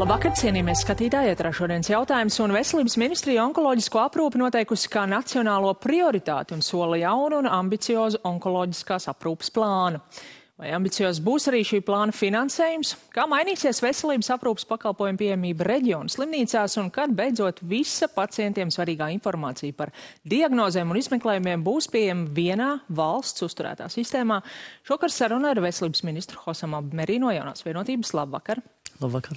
Labvakar, cienījamies skatītāji, ētrā šodienas jautājums, un Veselības ministrija onkoloģisko aprūpi noteikusi kā nacionālo prioritāti un sola jaunu un ambiciozu onkoloģiskās aprūpes plānu. Vai ambiciozs būs arī šī plāna finansējums? Kā mainīsies veselības aprūpes pakalpojumu pieejamība reģionu slimnīcās un kad beidzot visa pacientiem svarīgā informācija par diagnozēm un izmeklējumiem būs pieejama vienā valsts uzturētā sistēmā? Šokar saruna ar veselības ministru Hosamu Abmerī no Jaunās vienotības. Labvakar! Labvakar.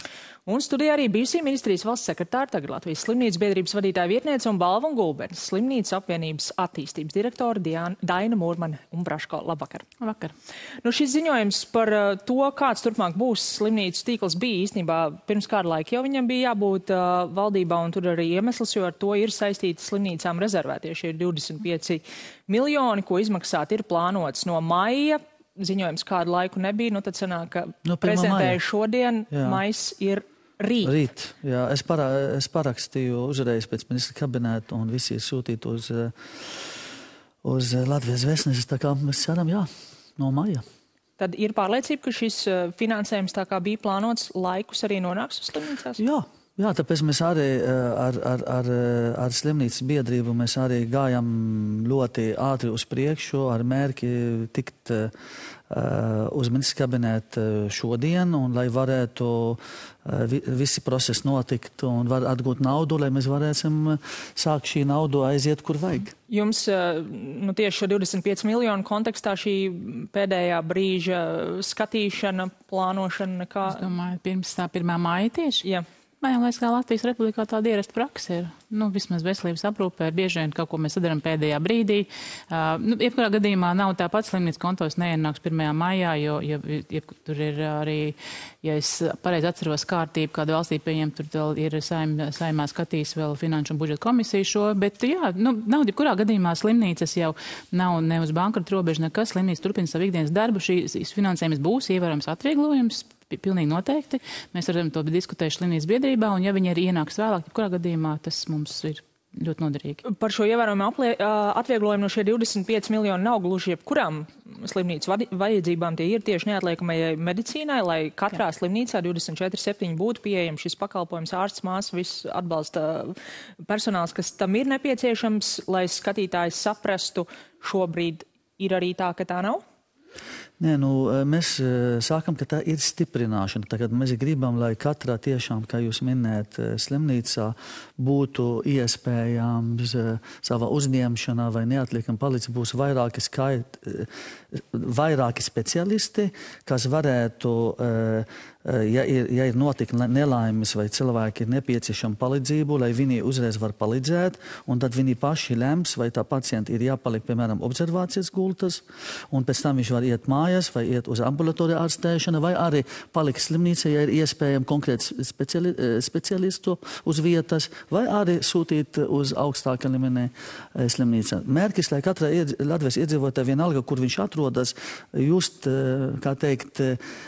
Un studijā arī bijusī ministrijas valsts sekretāra, tagad Latvijas slimnīcas biedrības vadītāja vietniece un Balva un Gulbenes slimnīcas apvienības attīstības direktora Daina Mūrmane un Braško. Labvakar. Labvakar. Nu, šis ziņojums par to, kāds turpmāk būs slimnīcas tīkls, bija īstenībā pirms kāda laika jau viņam bija jābūt valdībā, un tur arī iemesls, jo ar to ir saistīti slimnīcām rezervētie šie 25 miljoni, ko izmaksāt ir plānots no maija. Ziņojums kādu laiku nebija, nu tad sanāk, ka prezentēju šodien, mais ir rīt. Rīt, jā. Es parakstīju uzreiz pēc ministra kabinēta un visi ir sūtīti uz Latvijas vēstneses, tā kā mēs ceram, no maija. Tad ir pārliecība, ka šis finansējums, tā kā bija plānots, laikus arī nonāks uz slimnīcās? Jā, tāpēc mēs arī ar slimnīcas biedrību mēs arī gājam ļoti ātri uz priekšu ar mērķi tikt uz ministra kabinētu šodien, un lai varētu visi procesi notikt un var atgūt naudu, lai mēs varēsim sākt šī naudu aiziet, kur vajag. Jums tieši šo 25 miljonu kontekstā šī pēdējā brīža skatīšana, plānošana nekā? Es domāju, pirms tā 1. māja tieši? Jā. Man liekas, kā Latvijas Republikā tāda ierasta praksa ir. Vismaz veselības aprūpē bieži vien kaut ko mēs sadarām pēdējā brīdī. Jebkurā gadījumā nav tāpat slimnīcas kontos neienāks 1. maijā, jo tur ir arī, ja es pareizi atceros kārtību, kāda valstī pieņem, tur vēl ir saimā skatīs vēl finanšu un budžeta komisiju šo, bet nav jebkurā gadījumā slimnīcas jau nav ne uz bankrota robeža nekas, slimnīca turpina savu ikdienas darbu, šīs finansējums būs ievērojams atvieglojums. Pilnīgi noteikti. Mēs ar to diskutējuši slimnīcas biedrībā, un ja viņi arī ienāks vēlāk, jebkurā gadījumā tas mums ir ļoti noderīgi. Par šo ievērojumu atvieglojumu no šie 25 miljoni nav gluži jebkurām slimnīcas vajadzībām. Tie ir tieši neatliekamajai medicīnai, lai katrā slimnīcā 24/7 būtu pieejams šis pakalpojums, ārsts, māsa, viss atbalsta personāls, kas tam ir nepieciešams, lai skatītājs saprastu, šobrīd ir arī tā, ka tā nav? Nē, mēs sākam, ka tā ir stiprināšana. Tagad mēs gribam, lai katrā tiešām, kā jūs minējat, slimnīcā būtu iespējams savā uzņemšanā vai neatliekam palīdzību būs vairāki speciālisti, kas varētu, ja ir notika nelaimes vai cilvēki ir nepieciešama palīdzību, lai viņi uzreiz var palīdzēt, un tad viņi paši lems, vai tā pacienta ir jāpaliek, piemēram, observācijas gultas, un pēc tam viņš var iet mājās, vai iet uz ambulatoriju ārstēšanu, vai arī palikt slimnīcā, ja ir iespējams konkrēts speciālistu uz vietas, vai arī sūtīt uz augstākā līmenī slimnīcā. Mērķis, lai katra Latvijas iedzīvotāja vienalga, kur viņš atrodas, just, kā teikt,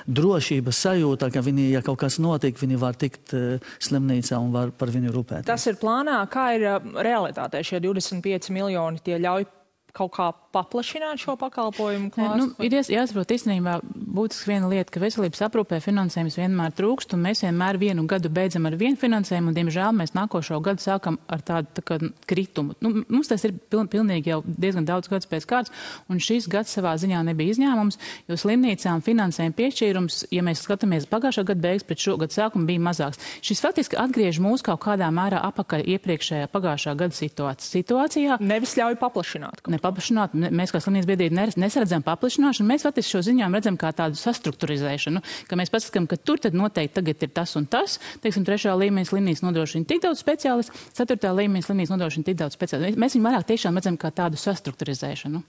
drošības sajūta, ka viņi, ja kaut kas notiek, viņi var tikt slimnīcā un var par viņu rūpēt. Tas ir plānā, kā ir realitātē šie 25 miljoni, tie ļauj kaut kā paplašināt šo pakalpojumu klāstu? Ir jāsaprot īstenībā būtiski viena lieta, ka veselības aprūpē finansējums vienmēr trūkst, un mēs vienmēr vienu gadu beidzam ar vienu finansējumu, un, diemžēl, mēs nākošo gadu sākam ar tādu kritumu. Mums tas ir pilnīgi jau diezgan daudz gadus pēc kārtas, un šis gads savā ziņā nebija izņēmums, jo slimnīcām finansējuma piešķīrums, ja mēs skatāmies pagājušā gada beigas pret šo gadu sākumu, bija mazāks. Šis faktiski atgriež mūs kaut kādā mērā apakaļ iepriekšējā pagājušā gada situācijā. Nevis ļauj paplašināt. Mēs kā slimnīcas biedrība nesaredzam paplašināšanu, mēs faktiski šo ziņojumu redzam kā tādu sastruktūrizēšanu, ka mēs paskatām, ka tur tad noteikti tagad ir tas un tas, teiksim, 3. līmeņa slimnīca nodrošina tik daudz speciālistu, 4. līmeņa slimnīca nodrošina tik daudz speciālistu. Mēs viņu vairāk tiešām redzam kā tādu sastruktūrizēšanu.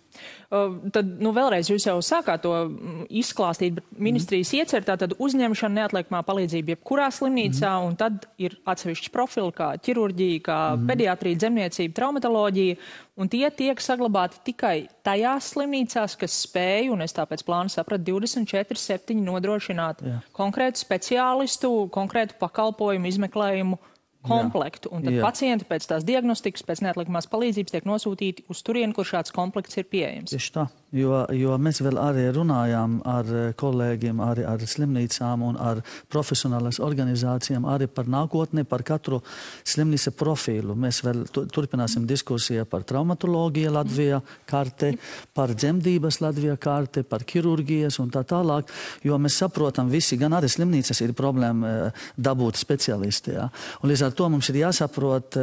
Tad, vēlreiz jūs jau sākāt to izklāstīt, bet ministrijas iecer tātad uzņemšana neatliekamā palīdzība jebkurā slimnīcā, un tad ir atsevišķi profili kā ķirurģija, kā pediatrija, dzemniecība, traumatoloģija, un tie tiek saglabāti tikai tajās slimnīcās, kas spēj, un es tāpēc plānu sapratu, 24/7 nodrošināt konkrētu speciālistu, konkrētu pakalpojumu, izmeklējumu komplektu. Un tad pacienti pēc tās diagnostikas, pēc neatliekamās palīdzības tiek nosūtīti uz turieni, kur šāds komplekts ir pieejams. Tieši tā. jo mēs vēl arī runājām ar kolēģiem, arī ar slimnīcām un ar profesionālas organizācijām arī par nākotni, par katru slimnīca profilu. Mēs vēl turpināsim diskusiju par traumatoloģiju Latvijā karte, par dzemdības Latvijā karte, par ķirurģijas un tā tālāk, jo mēs saprotam visi, gan arī slimnīcas ir problēma dabūt speciālisti. Ja? Un līdz ar to mums ir jāsaprot,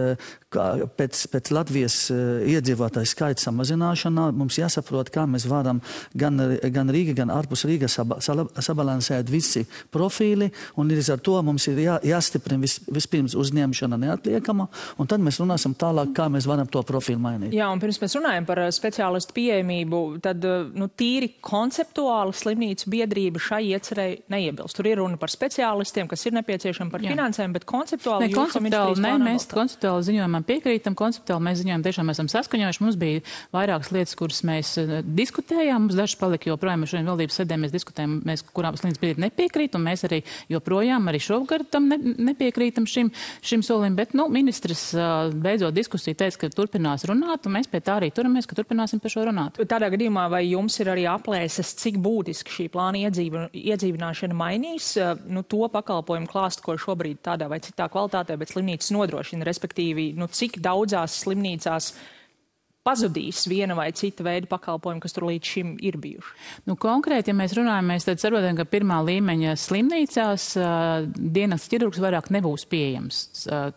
pēc Latvijas iedzīvotāju skaita samazināšanā mums jāsaprot, kā mēs varam gan Rīga, gan ārpus Rīga sabalansēt visi profīli, un līdz ar to mums ir jāstiprina vispirms uzņemšana neatliekama, un tad mēs runāsim tālāk, kā mēs varam to profilu mainīt. Jā, un pirms mēs runājam par speciālistu pieejamību, tad tīri konceptuāli slimnīcu biedrība šai iecerei neiebilst. Tur ir runa par speciālistiem, kas ir nepieciešami par finansēm, bet konceptuāli mēs konceptuāli ziņojumam piekrītam, konceptuāli mēs ziņojam tiešām esam saskaņojuši. Mums bija vairākas lietas, kuras mēs diskutējām, mums dažas palika joprojām, mēs šodien valdības sēdē mēs diskutējam, kurām slimnīcas biedrība nepiekrīt, un mēs arī joprojām arī šovgad tam nepiekrītam šim solim, bet, ministrs beidzot diskusiju teica, ka turpinās runāt, un mēs pie tā arī turamies, ka turpināsim par šo runāt. Tādā gadījumā vai jums ir arī aplēses, cik būtiski šī plāna iedzīvināšana mainīs to pakalpojumu klāstu, ko šobrīd tādā vai citā kvalitātē, bet slimnīcas nodrošina, respektīvi, cik daudzās slimnīcās pazudīs viena vai cita veida pakalpojumi, kas tur līdz šim ir bijuši? Konkrēti, ja mēs runājam, mēs tad saprotam, ka pirmā līmeņa slimnīcās dienas ķirurgs vairāk nebūs pieejams.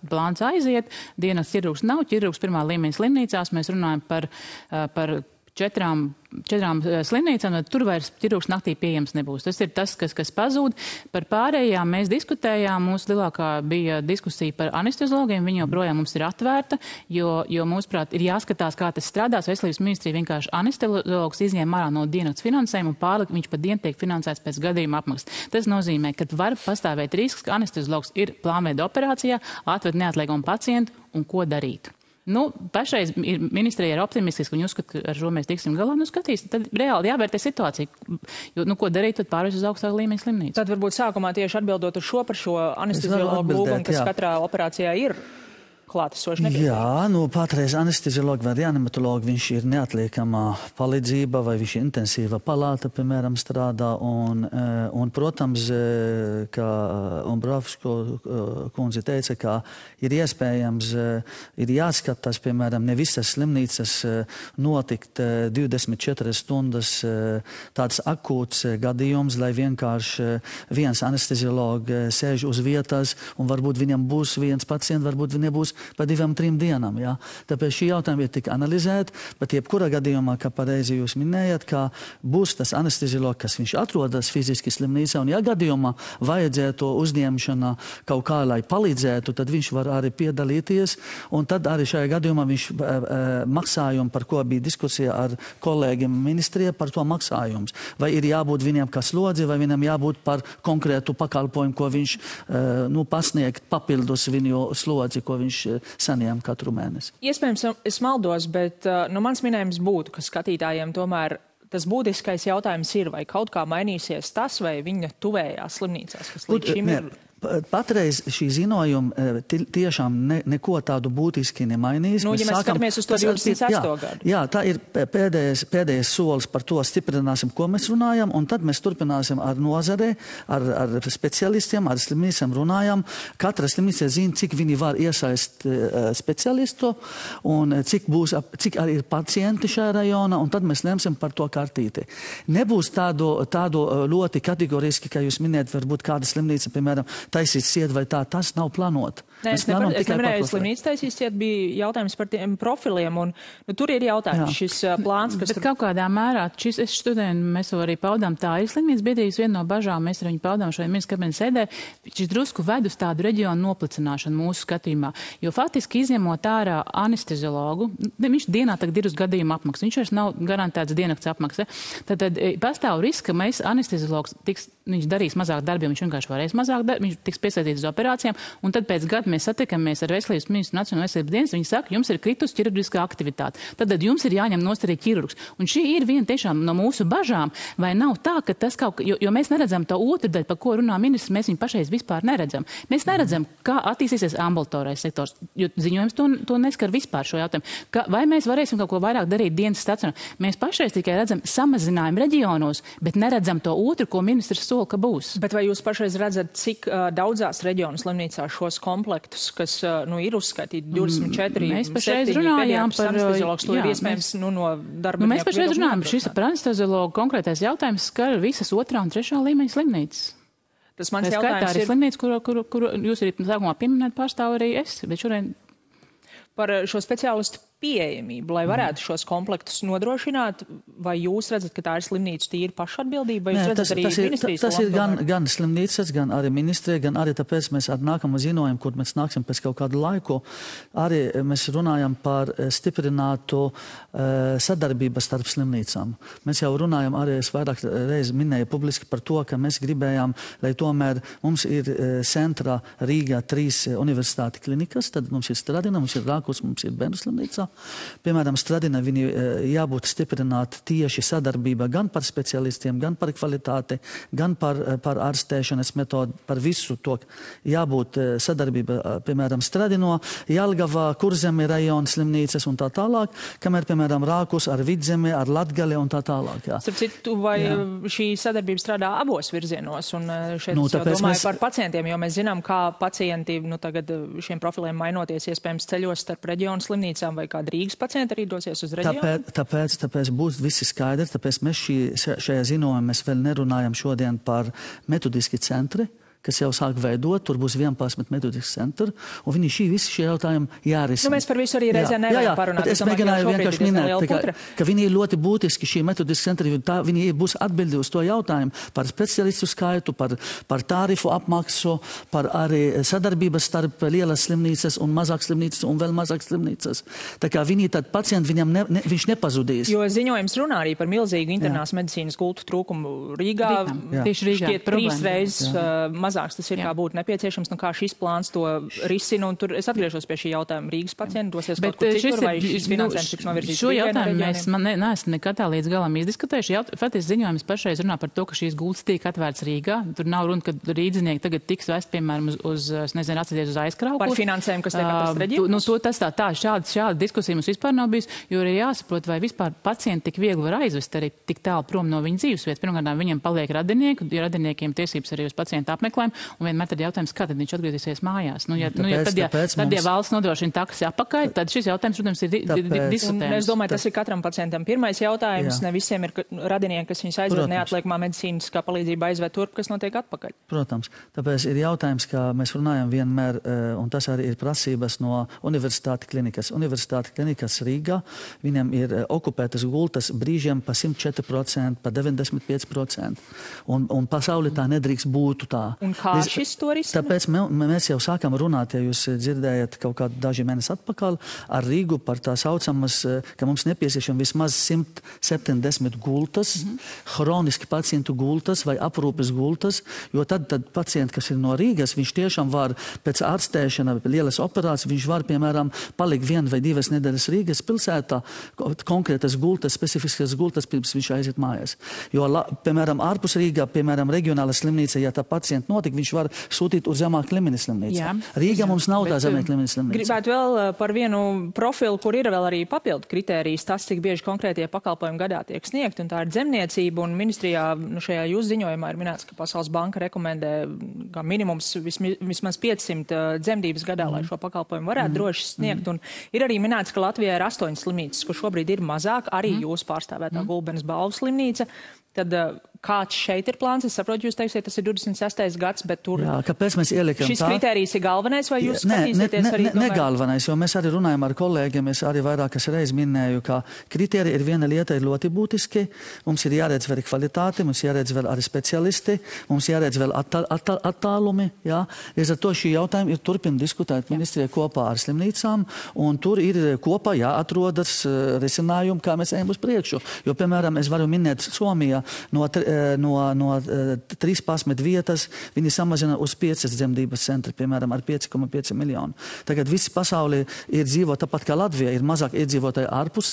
Plāns aiziet, dienas ķirurgs nav, ķirurgs pirmā līmeņa slimnīcās, mēs runājam par četrām slimnīcām, tur vairs ķirurgs naktī pieejams nebūs. Tas ir tas, kas pazūd. Par pārējām mēs diskutējām, mūsu lielākā bija diskusija par anesteziologiem, viņa joprojām mums ir atvērta, jo mūsuprāt ir jāskatās, kā tas strādās. Veselības ministrija vienkārši anesteziologs izņēma ārā no dienas finansējumu un pārlika, viņš pat dienu tiek finansēts pēc gadījuma apmaksas. Tas nozīmē, ka var pastāvēt risks, ka anesteziologs ir plānveida operācijā, atved neatliekumu pacientu un ko darīt. Pašreiz ministrija ir optimistiski, un uzskata, ka ar šo mēs tiksim galā, skatīsim. Tad reāli jāvērtē situācija, jo, ko darīt, tad pārējais uz augstāku līmeņa slimnīcu. Tad varbūt sākumā tieši atbildot uz par šo anesteziologu lūgumu, kas katrā operācijā ir klātesoši nepieciešams. Jā, patreiz anesteziologi vai reanimatologi, viņš ir neatliekamā palīdzība vai viņš intensīva palāta, piemēram, strādā un protams, kā Umbrovsko kundze teica, ka ir iespējams, ir jāskatās, piemēram, ne visas slimnīcas notikt 24 stundas tāds akūts gadījums, lai vienkārši viens anesteziologi sēž uz vietas un varbūt viņam būs viens pacients, varbūt viņam būs pa 2-3 dienām. Ja? Tāpēc šī jautājuma ir tik analizēta, bet jebkurā gadījumā, kā pareizi jūs minējat, ka būs tas anesteziologs, kas viņš atrodas fiziski slimnīcā, un ja gadījumā vajadzētu uzņemšana kaut kā, lai palīdzētu, tad viņš var arī piedalīties, un tad arī šajā gadījumā viņš maksājumu, par ko bija diskusija ar kolēģiem ministrijā, par to maksājums. Vai ir jābūt viņam kā slodzi, vai viņam jābūt par konkrētu pakalpojumu, ko viņš pasniegt papildus viņu slodzi, ko viņš saņem katru mēnesi. Iespējams, es maldos, bet mans minējums būtu, ka skatītājiem tomēr tas būtiskais jautājums ir, vai kaut kā mainīsies tas, vai viņa tuvējās slimnīcās, kas līdz šim ir. Patreiz šī ziņojuma tiešām neko tādu būtiski nemainīs. Ja mēs skatāmies uz to 28. gadu. Jā, tā ir pēdējais solis, par to stiprināsim, ko mēs runājam, un tad mēs turpināsim ar nozarē, ar specialistiem, ar slimnīcām runājam. Katra slimnīca zina, cik viņi var iesaist specialistu, un cik arī ir pacienti šajā rajonā, un tad mēs lemsim par to kartīti. Nebūs tādu ļoti kategoriski, kā jūs minējat, varbūt kāda slimnīca, piemēram, taisīt ciet vai tā, tas nav plānot. Nē, es nevarēju slimnīcu taisīt ciet, bija jautājums par tiem profiliem, un tur ir jautājums šis plāns, kas... Bet kaut kādā mērā, mēs to arī paudām, tā ir slimnīcas biedrības viena no bažām, mēs ar viņu paudām šajā ministra kabineta sēdē, šis drusku ved uz tādu reģionu noplicināšanu mūsu skatījumā, jo faktiski izņemot ārā anesteziologu, viņš dienā tagad ir uz gadījuma apmaksa, viņš vairs nav garantēts diennakts apmaksa, tad pastāv risks, ka mēs anesteziologs viņš darīs mazāk darbi, viņš vienkārši varēs mazāk darbi, viņš tiks piesaistīts uz operācijām, un tad pēc gada mēs satikamies ar veselības ministru Nacionālo veselības dienas, viņi saka, jums ir kritus ķirurģiskā aktivitāte. Tad jums ir jāņem nost arī ķirurgs. Un šī ir viena tiešām no mūsu bažām, vai nav tā, ka tas kaut, jo mēs neredzam to otru daļu, par ko runā ministrs, mēs viņu pašreiz vispār neredzam. Mēs neredzam, kā attīstīsies ambulatorais sektors, jo ziņojums to neskar vispār šo jautājumu. Vai mēs varēsim kaut ko vairāk darīt dienas stacionā? Mēs pašreiz tikai redzam samazinājumu reģionos, bet neredzam to otru, ko ministrs sola, ka būs. Bet vai jūs pašreiz redzat, cik daudzās reģionu slimnīcās šos komplektus, kas ir uzskaitīti 24, mēs pašreiz runājām par anesteziologs, to ir iespējams no darbinieku. Mēs pašreiz runājām, šis par anesteziologu konkrētais jautājums skar visas 2. un 3. līmeņa slimnīcas. Tas mans jautājums ir slimnīca, kuru jūs arī sākumā pieminēt, pārstāv arī es, bet šodien par šo speciālistu pieejamību, lai varētu šos komplektus nodrošināt, vai jūs redzat, ka tā ir slimnīca tīri pašatbildība, vai jūs redzat arī ministrijas? Tas ir gan slimnīcas, gan arī ministrija, gan arī tāpēc mēs ar nākamu ziņojumu, kur mēs nāksim pēc kaut kādu laiku, arī mēs runājam par stiprinātu sadarbību starp slimnīcām. Mēs jau runājam, arī es vairāk reiz minēju publiski par to, ka mēs gribējām, lai tomēr mums ir centrā Rīgā 3 universitāti klinikas, tad mums ir Stradina, mums ir Rākus, mums ir Bērnu slimnīca. Piemēram, Stradina viņi jābūt stiprināt tieši sadarbība gan par specialistiem, gan par kvalitāti, gan par ārstēšanas metodu, par visu to jābūt sadarbība, piemēram, Stradino, Jelgavā, Kurzeme rajona slimnīcas un tā tālāk, kamēr, piemēram, Rākus ar Vidzemi, ar Latgali un tā tālāk. Jā. Starp citu, vai šī sadarbība strādā abos virzienos? Un šeit es jau domāju par pacientiem, jo mēs zinām, kā pacienti tagad šiem profiliem mainoties iespējams ceļos starp reģionu slimnīcām vai kāda Rīgas pacienta arī dosies uz reģionu? Tāpēc būs visi skaidri, tāpēc mēs šajā ziņojumā mēs vēl nerunājam šodien par metodiski centri, kas jau sāk veidot, tur būs 11 metodiski centri, un viņi visi šie jautājumi jārisina. Mēs par visu arī reizē nevaram parunāt. Es mēģināju vienkārši minēt, ka viņi ir ļoti būtiski šī metodiski centri, viņi būs atbildi uz to jautājumu par specialistu skaitu, par tārifu apmaksu, par arī sadarbības starp lielas slimnīcas un mazāk slimnīcas un vēl mazāk slimnīcas. Tā kā viņi tad pacienti, viņš nepazudīs. Jo ziņojums runā arī par milzīgu internās medicīnas gultu trūkumu Rīgā. Tieši Rīgā. Šķiet 3 reizes mazāks tas ir, kā būtu nepieciešams, kā šis plāns to risina, un tur es atgriežos pie šī jautājuma. Rīgas pacienti dosies kaut kur citur, vai šis finansējums tiks novirzīts? Šo jautājumu mēs neesam nekad tā līdz galam izdiskutējuši. Faktiski ziņojums pašreiz runā par to, ka šīs gultas tiek atvērts Rīgā. Tur nav runa, ka rīdzinieki tagad tiks vest, piemēram, atcerieties uz aizkrauku. Par finansējumu, kas tiek atrast reģionos? Šāda diskusija mums vispār nav bijis, jo ir jāsaprot, vai vispār pacienti tik viegli var aizvest arī tik tālu prom no viņa dzīvesvietas. Pirmkārt, viņiem paliek radinieki, jo radiniekiem tiesības arī uz pacientu apmeklējumu. Un vienmēr tad jautājums, kā tad viņš atgriezīsies mājās. Tad, ja valsts nodrošina taksi apakaļ, tad šis jautājums, protams, ir diskutējams. Es domāju, tas ir katram pacientam pirmais jautājums. Ne visiem ir radinieki, kas viņus aizved neatliekamā medicīniskā palīdzība aizved turp, kas notiek atpakaļ. Protams. Tāpēc ir jautājums, kā mēs runājam vienmēr, un tas arī ir prasības no universitāti klinikas. Universitāti klinikas Rīgā, viņam ir okupētas gultas brīžiem pa 104%, pa 95%. Un pasaulē tā nedrīkst būt tā. Un kā šis to risina? Tāpēc mēs jau sākam runāt, ja jūs dzirdējat kaut kādu daži mēnesi atpakaļ ar Rīgu par tā saucamas, ka mums nepieciešam vismaz 170 gultas, hroniski pacientu gultas vai aprūpes gultas, jo tad pacienti, kas ir no Rīgas, viņš tiešām var pēc ārstēšana, lielas operācijas, viņš var, piemēram, palikt 1 vai 2 nedēļas Rīgas pilsētā, konkrētas gultas, specifiskas gultas, pirms viņš aiziet mājās. Jo, piemēram, ārpus Rīgā, piemēram, reģionāla slimnīca, ja tā pacienta notika, viņš var sūtīt uz zemāk līmeņa slimnīcu. Rīgā mums nav tā zemāk līmeņa slimnīca. Gribētu vēl par vienu profilu, kur ir vēl arī papildu kritērijas, tas, cik bieži konkrētie pakalpojumi gadā tiek sniegt, un tā ir dzemniecība, un ministrijā šajā jūsu ziņojumā ir minēts, ka Pasaules banka rekomendē kā minimums vismaz 500 dzemdības gadā, lai šo pakalpojumu varētu droši sniegt, un ir arī minēts, ka Latvijā ir 8 slimnīcas, kur šobrīd ir mazāk, arī jūsu pārstāvētā Gulbenes balvu slimnīca. Tad kāds šeit ir plāns? Es saprotu, jūs teiksiet, tas ir 26. gads, bet tur... Jā, kāpēc mēs ielikam šis kritērijs ir galvenais, vai jūs skatīsieties arī tomēr? Ne galvenais, jo mēs arī runājam ar kolēģiem, es arī vairākas reizes minēju, ka kritērija ir viena lieta, ir ļoti būtiski. Mums ir jāredz vēl kvalitāte, mums jāredz vēl arī specialisti, mums jāredz vēl attālumi, jā. Līdz ar to šī jautājuma ir turpina diskutēt ministrija kopā ar slimnīcām, un tur ir kopā jāatrodas risinājumi, kā mēs ejam uz priekšu. Jo, piemēram, es varu minēt Somijā, no no 13 vietas viņi samazina uz 5 dzemdības centri, piemēram, ar 5,5 miljonu. Tagad visi pasaulē ir dzīvo tāpat kā Latvija, ir mazāk iedzīvotāji ārpus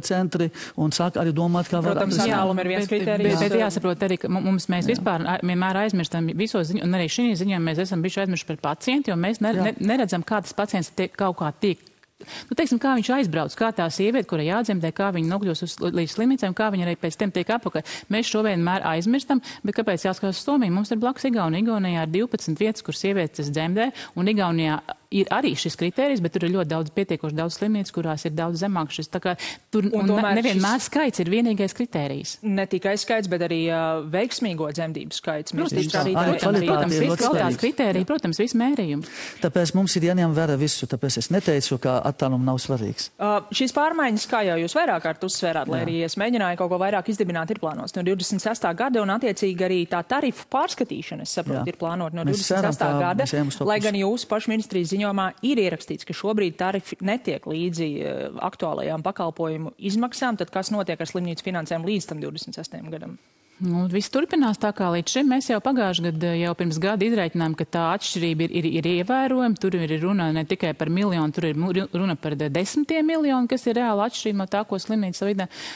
centri un sāk arī domāt, kā var... Protams, tālum ir viens kriterijs. Bet jāsaprot arī, ka mēs vispār vienmēr aizmirstam visos ziņos, un arī šī ziņā mēs esam bijuši aizmirsti par pacientu, jo mēs neredzam, kā tas pacients kaut kā tiek. Teiksim, kā viņš aizbrauc, kā tā sieviete, kura jādzemdē, kā viņa nokļūst līdz slimnīcām, kā viņa arī pēc tam tiek apakaļ. Mēs šo vienmēr aizmirstam, bet kāpēc jāskatās uz Somiju? Mums ir blakus Igaunija. Igaunijā ir 12 vietas, kur sievietes dzemdē, un Igaunijā ir arī šis kriterijs, bet tur ir ļoti pietiekoši daudz slimnīcu, kurās ir daudz zemāks šis. Tā kā tur nevienmēr skaits ir vienīgais kriterijs. Ne tikai skaits, bet arī veiksmīgo dzemdību skaits. Protams, viss mērījums. Tāpēc mums ir jāņem vērā visu, tāpēc es neteicu, ka attālums nav svarīgs. Šīs pārmaiņas, kā jau jūs vairāk kārt uzsvērāt, lai arī es mēģināju kaut ko vairāk izdibināt, ir plānots no 26. gada, un attiecīgi arī tā tarifu pārskatīšana, es saprotu, ir plānota no 26. gada, lai gan jūsu pašu ministrijas ziņojumā ir ierakstīts, ka šobrīd tarifi netiek līdzi aktuālajām pakalpojumu izmaksām, tad kas notiek ar slimnīcu finansēm līdz tam 26. gadam? Viss turpinās tā kā līdz šim. Mēs jau pagājuši gadu, jau pirms gada izreikinājām, ka tā atšķirība ir ievērojama. Tur ir runa ne tikai par miljonu, tur ir runa par 10 miljonu, kas ir reāla atšķirība no tā, ko slimnīca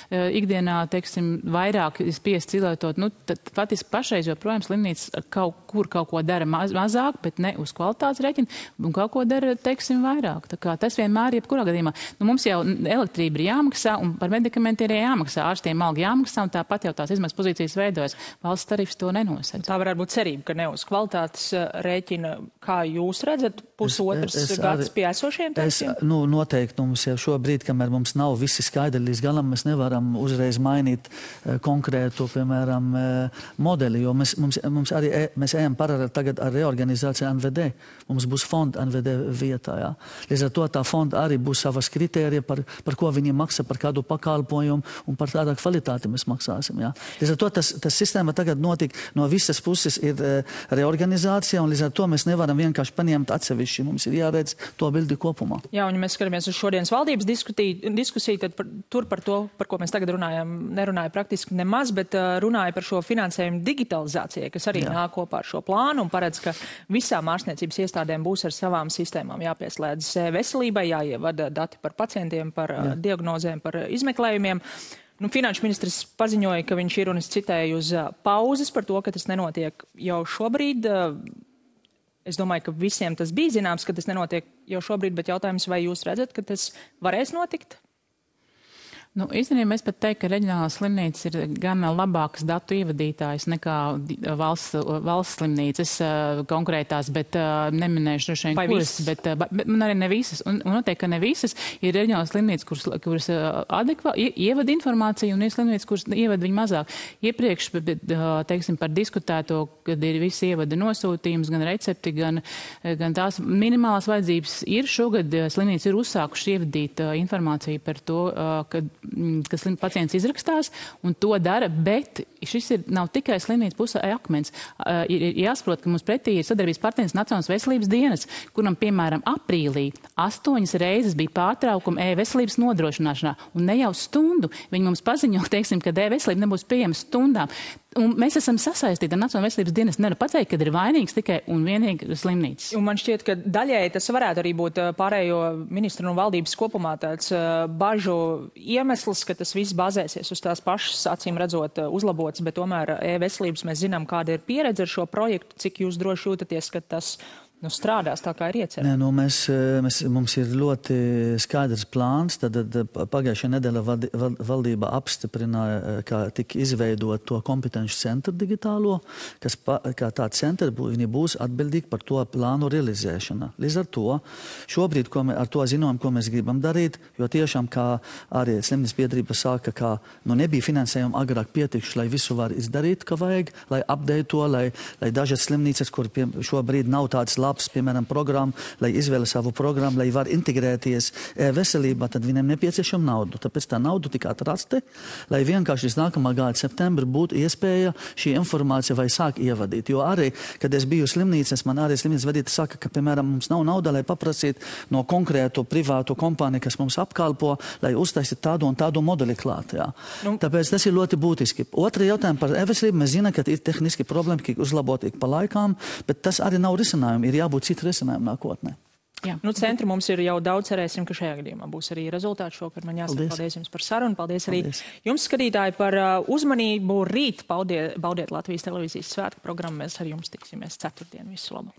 ikdienā, teiksim, vairāk spiest cilietot. Tad faktiski pašreiz joprojām slimnīca kaut ko dara mazāk, bet ne uz kvalitātes rēķina, un kaut ko dara, teiksim, vairāk. Tā kā tas vienmēr, jebkurā gadījumā. Mums jau elektrība ir jāmaksā, un par medikamentiem ir jāmaksā, ārstiem alga jāmaksā, un tāpat jau tās izmaksas pozīcijas veidojas. Valsts tarifs to nenosedz. Tā varētu būt cerība, ka ne uz kvalitātes rēķina, kā jūs redzat, pusotrs gads pie esošiem tarifiem? Noteikti mums jau šobrīd, kamēr mums nav visi skaidri līdz galam, mēs nevaram uzreiz mainīt konkrētu, piemēram, modeli, jo mēs ejam paralēli tagad ar reorganizāciju NVD. Mums būs fonda NVD vietā, jā. Līdz ar to tā fonda arī būs savas kritērija, par ko viņi maksā, par kādu pakalpojumu un par kādā kvalitāti mēs maksāsim, jā. Līdz ar to tas sistēma tagad notika no visas puses ir reorganizācija, un līdz ar to mēs nevaram vienkārši paņemt atsevišķi. Mums ir jāredz to bildi kopumā. Jā, un ja mēs skatāmies uz šodienas valdības diskusiju, tad par to, par ko mēs tagad runājam, nerunāja praktiski nemaz, bet runāja par šo finansējumu digitalizācijai, kas arī nāk kopā ar šo plānu un paredz, ka visām ārstniecības iestādēm būs ar savām sistēmām jāpieslēdz veselībai, jāievada dati par pacientiem, par diagnozēm, par izmeklējumiem. Finanšu ministrs paziņoja, ka viņš ir, un es citēju, uz pauzes par to, ka tas nenotiek jau šobrīd. Es domāju, ka visiem tas bija zināms, ka tas nenotiek jau šobrīd, bet jautājums, vai jūs redzat, ka tas varēs notikt? Īstenībā es pat teiktu, ka reģionālās slimnīcas ir gan labākas datu ievadītājs nekā valsts slimnīcas konkrētās, bet neminēšu droši vien kuras, bet arī ne visas. Un noteikti, ka ne visas ir reģionālās slimnīcas, kuras ievada informāciju, un ir slimnīcas, kuras ievada viņu mazāk. Iepriekš, teiksim, par diskutēto, kad ir visi ievada nosūtījums, gan recepti, gan tās minimālās vajadzības ir. Šogad slimnīcas ir uzsākuši ievadīt informāciju par to, kas pacients izrakstās, un to dara, bet šis nav tikai slimnīca pusē akmens. Ir jāsaprot, ka mums pretī ir sadarbības partneris Nacionālās veselības dienas, kuram, piemēram, aprīlī 8 reizes bija pārtraukumi e-veselības nodrošināšanā, un ne jau stundu. Viņi mums paziņo, teiksim, ka e-veselība nebūs pieejama stundām. Un mēs esam sasaistīti ar Nacionālās veselības dienas. Nevaru pateikt, ka ir vainīgs tikai un vienīgi slimnīcas. Un man šķiet, ka daļēji tas varētu arī būt pārējo ministru un valdības kopumā tāds bažu iemesls, ka tas viss bazēsies uz tās pašas, acīm redzot, uzlabotas, bet tomēr e-veselības mēs zinām, kāda ir pieredze ar šo projektu, cik jūs droši jūtaties, ka tas strādās tā, kā ir iecerēts. Mums ir ļoti skaidrs plāns. Tad pagājušajā nedēļā valdība apstiprināja, kā tika izveidot to kompetenci centru digitālo, kas kā tā centra viņi būs atbildīgi par to plānu realizēšanu. Līdz ar to šobrīd ar to zinājumu, ko mēs gribam darīt, jo tiešām, kā arī slimnīcas biedrība saka, ka nebija finansējuma agrāk pietikuši, lai visu var izdarīt, ka vajag, lai update to, lai dažas slimnīcas, kur šobrīd nav tādas labs, piemēram, programma, lai izvēle savu programmu, lai var integrēties veselībā, tad viņiem nepieciešama nauda. Tāpēc tā nauda tika atrasta, lai vienkārši līdz nākamā gada septembra būtu iespēja šī informācija vai sāk ievadīt. Jo arī, kad es biju slimnīcas, man arī slimnīcas vadītājs saka, ka, piemēram, mums nav nauda, lai paprasīt no konkrētu privātu kompāniju, kas mums apkalpo, lai uztaisīt tādu un tādu modeli klāt. Jā. Tāpēc tas ir ļoti būtiski. Otra jautājuma par e-veselību. Mēs zinām, ka ir tehniski problēma, ka uzlabot pa laikām, bet tas arī nav risinājumi. Ir jābūt citu risinājumu nākotnē. Jā. Centri mums ir jau daudz, cerēsim, ka šajā gadījumā būs arī rezultāti šokar. Man jāsaka paldies jums par sarunu. Paldies arī jums, skatītāji, par uzmanību. Rīt baudiet Latvijas televīzijas svētku programmu. Mēs ar jums tiksimies ceturtdien. Visu labu!